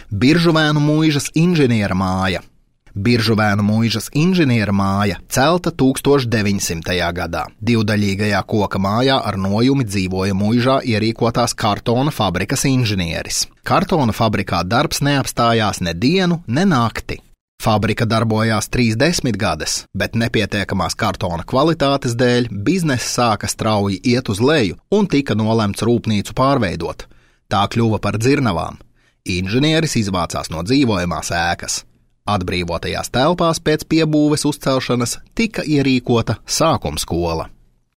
Biržuvēnu muižas inženiera māja. Biržuvēnu muižas inženiera māja celta 1900. gadā. Divdaļīgajā koka mājā ar nojumi dzīvoja muižā ierīkotās kartona fabrikas inženieris. Kartona fabrikā darbs neapstājās ne dienu, ne nakti. Fabrika darbojās 30 gadus, bet nepietiekamās kartona kvalitātes dēļ bizness sāka strauji iet uz leju un tika nolemts rūpnīcu pārveidot. Tā kļuva par dzirnavām. Inženieris izvācās no dzīvojamās ēkas. Atbrīvotajās telpās pēc piebūves uzcelšanas tika ierīkota sākumskola.